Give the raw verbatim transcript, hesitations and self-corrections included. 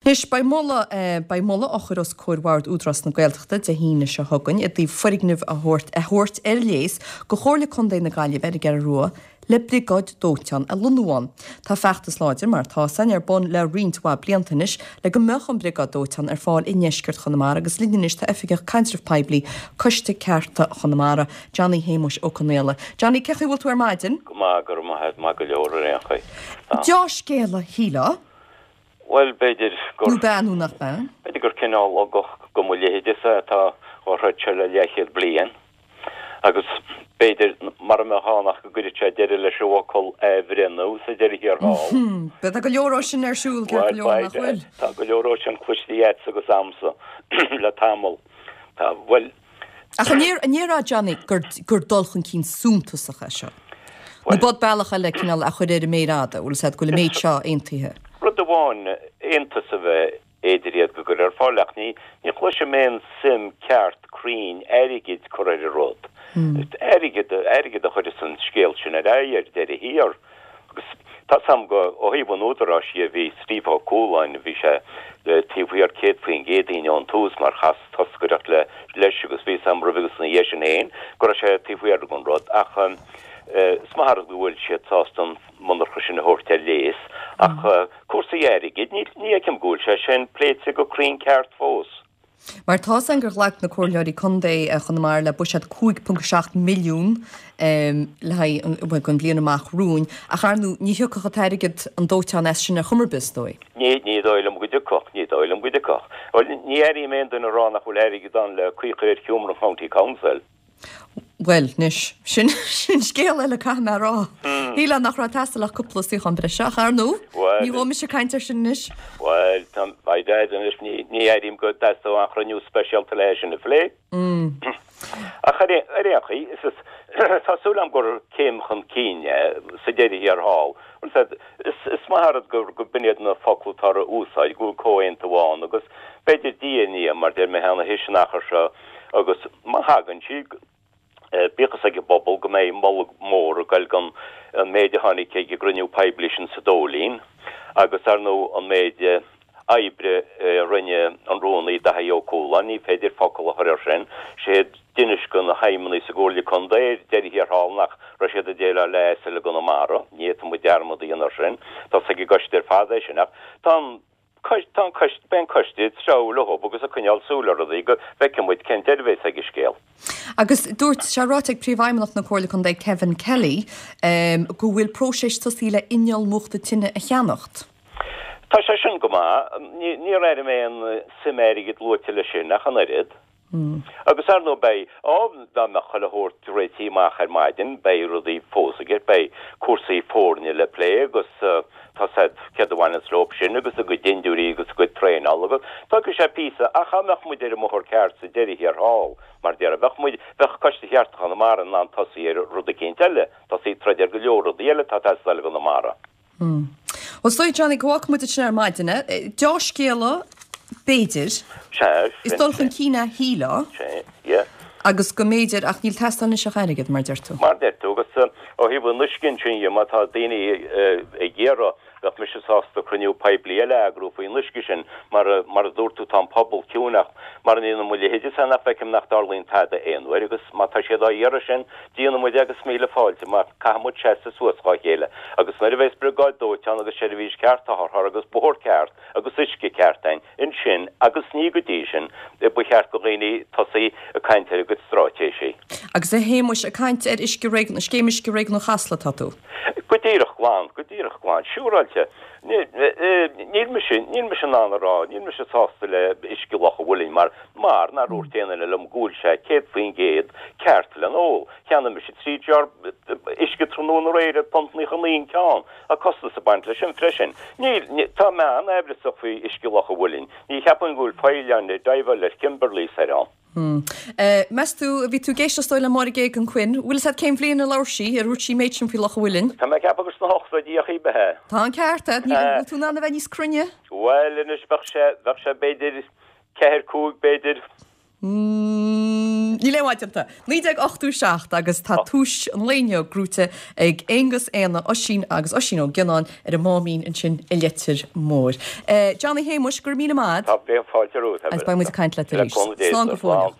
Anois, beidh moladh, beidh moladh á chur os comhair Bhord Údarás na Gaeltachta Dé hAoine seo chugainn i dtaobh foirgneamh a thabhairt a thabhairt ar léas go Chomhairle Contae na Gaillimhe ar an gCeathrú Rua le briogáid dóiteáin a lonnú ann. Tá feachtas láidir, mar atá 'fhios a'inn, ar bun le roinnt mhaith blianta anois le go mbeadh an briogáid dóiteáin ar fáil i ndeisceart Chonamara agus linn anois tá Oifigeach Caidrimh Poiblí Coiste Cearta Chonamara, Johnny Shéamuis Ó Conaola. Johnny, cén chaoi a bhfuil tú ar maidin? Go maith, go raibh maith a't, maith go leor ar aon chaoi. Tá. Deá-scéala, shílfeá. Bhuel, b'fhéidir gur. Nó b'ea nó nach b'ea? B'fhéidir gur cineál ugach go mo leithéidese atá dhá throid seo le leathchéad bliain. Agus b'fhéidir, mara mbeadh ann ach go gcuirfeadh sé deireadh leis an bhfocal athbhreithniú sa deireadh thiar thall. Bhuel, tá go leor ó sin ar siúl, ceart go leor, nach bhfuil? Tá go leor ó sin cloiste agatsa agus a'msa le tamall. Tá, bhuel. Ach an ndéarfá, Johnny, gur, gur dul chun cinn suntasach é seo? Nó b'fhéidir bealach eile cineál a chur ar an méar fhada, bhfuil 'fhios a'd, go bhfuil an méid seo aontaithe? Rud amháin, aontas a bheith idir iad go gcuir ar fáil, ach ní, ní chloisim aon suim ceart cruinn airgid curtha ar an rud. Airgead, airgead a chuireas an scéal sin ar aghaidh ar deireadh thiar. Agus tá 's a'm go, ó thaobh an Údaráis dhe, bhí Steve Ó Cualáin, bhí sé taobh thiar céad faoin gcéad dínn ón tús mar chas toscaireacht le, leis agus bhí 's a'm roimhe agus ina dhiaidh sin féin go raibh sé taobh thiar den rud ach is maith an rud go bhfuil siad sásta an monarcha sin a thabhairt ar léas ach cúrsaí airgid, ní, ní fheicim go bhfuil sé sin pléite go cruinn ceart fós. Mar tá 'fhios a'inn gur ghlac na Comhairleoirí Contae Chonamara le buiséad cúig ponc seacht milliún le haghaidh bhuel don bhliain amach romhainn ach ar ndóigh ní thiocfadh an t-airgead an dóiteán as sin ar chuma ar bith is dóigh. Ní, ní dóigh liom go dtiocfadh, ní dóigh liom go dtiocfadh. Bhuel ní airím aon duine ag rá nach bhfuil airgead ann le caoi a chur ar sheomra an County Council. Bhuel, anois, sin, sin scéal eile caithfidh mé a rá. Shílfeá nach raibh ag teastáil ach cúpla suíochán breise, ach ar ndóigh, ní ghabhfaidh mise ag caint air sin anois. Bhuel, tá, by dad, anois, ní, ní airím go dteastódh aon chruinniú speisialta le é sin a phlé. Ach ar, ar aon chaoi, is, is, tá súil agam gur céim chun cinn é sa deireadh thiar thall. Bhuel, said, is, is maith an rud gur, go b'in iad na focla atá á úsáid, go bhfuil comhaontú ann agus b'fhéidir diaidh ar ndiaidh, mar deir mé cheana théis an achair seo, Agus má thagann sí, bíodh fhios ag an bpobal go mbeidh moladh mór ag goil don an méid a tháinig ag an gcruinniú poiblí sin sa Dóilín agus, ar ndóigh, an méid oibre a rinne an Rúnaí Daithí Ó Cualáin, ní féidir focal a chur air sin. Sé a d'inis do na feidhmeannaigh sa gComhairle Contae ar deireadh thiar thall nach raibh siad ag déileáil le ASL i gConamara. Ní fhéadfaidh muid dearmad a dhéanamh air sin. Tá 's ag an gcoiste ar fad é sin. Ach tá an. Tá an coiste, beidh an coiste ag treabhadh leo agus ag coinneáil súil ar rudaí go bhfeicfidh muid cén deireadh a bheas ag an scéal. Agus dúirt sé ráite ag Príomhfheidhmeannach na Comhairle Contae Kevin Kelly go bhfuil próiseas tosaithe le inneall múchta tine a cheannacht. Tá sé sin go maith. Níor airigh mé aon suim airgid luaite leis sin ach an oiread. Agus ar ndóigh beidh, á, dá mbeadh chuile shórt réitithe amach ar maidin, beidh rudaí fós i gceist, beidh cúrsaí foirne le plé agus tá 's a'd céard a bhaineanns leo sin agus a gcuid dindiúirí agus a gcuid traenála agus tógfaidh sé píosa ach dá mbeadh muid ar an mbóthar ceart sa deireadh thiar thall, mar déarfá, bheadh muid, bheadh Coiste Chearta Chonamara in ann tosaí ar rud eicínt eile, tosaí ag troid ar go leor rudaí eile atá ag teastáil i gConamara. Bhuel, is dóigh, Johnny, go bhfágfaidh muid ansin ar maidin é. Deá-scéala, b'fhéidir. Sea, Is dul chun cinn é, shílfeá. Sea, yeah. Agus go mb'fhéidir, ach níl ag teastáil anois ach airgead, mar a deir tú. Mar a deir tú, agus ó thaobh an uisce ansin dhe, má tá daoine ag iarraidh, bheadh mise sásta cruinniú poiblí eile a eagrú faoin uisce sin, mar, mar a dúirt tú, tá an pobal ciúin ach mar a ndéanann mo leithéidese nach bhfeicim nach dtarlaíonn tada aon uair agus má tá siad á iarraidh sin, Déanfaidh muid agus míle fáilte mar caithfidh muid seasamh suas dhá chéile agus nuair a bheas briogáid dóiteáin agus seirbhís ceart otharcharr agus bóthar ceart agus uisce ceart a'inn ansin agus ní go dtí sin ba cheart go dhaoine tosaí ag caint ar a gcuid stráitéisí. Agus a Shéamuis, ag caint ar uisce réigiún, scéim uisce réigiún Chasla atá tú? Go díreach glan, go díreach glan, siúráilte. Níl mise, níl mise in ann a rá, níl mise sásta le uisce Loch a' Mhuilinn mar Mar nár dhúirt aon duine liom go bhfuil sé céad faoin gcéad ceart le n-ól. Cheannaigh mise trí jar uisce tráthnóna aréir ar punt naocha naoi an ceann. Tá costas ag baint leis sin freisin. Níl, tá mé an-aimhreasach faoi uisce Loch a' Mhuilinn. Ní cheapaim go bhfuil feidhleáin ag adhmháil ar Kimberleys air ann. Meas tú, bhí tú ag éisteacht is dóigh le Máire Geoghegan-Quinn, bhfuil fhios agat cén bhliain a labhair sí, ar dhúirt sí an méid sin faoi Loch a' Mhuilinn? Tá mé ag ceapadh gur sna hochtóidí a b'ea é. Tá an ceart agat, níl, bhfuil tú in ann a bheith níos cruinne? Bhuel anois bheadh sé, bheadh sé b'fhéidir ceathair, cúig b'fhéidir. Níl aon mhaith déanta. Naoi déag ochtó seacht agus tá tús an lae inniu gnóite ag Aonghus, Éanna, Oisín agus Oisín Ó Gionnáin ar an Máimín ansin i Leitir Móir. Johnny Shéamuis, go raibh míle maith. Tá bíonn fáilte romhat. Agus beidh muid ag caint leat arís. Slán go fóill.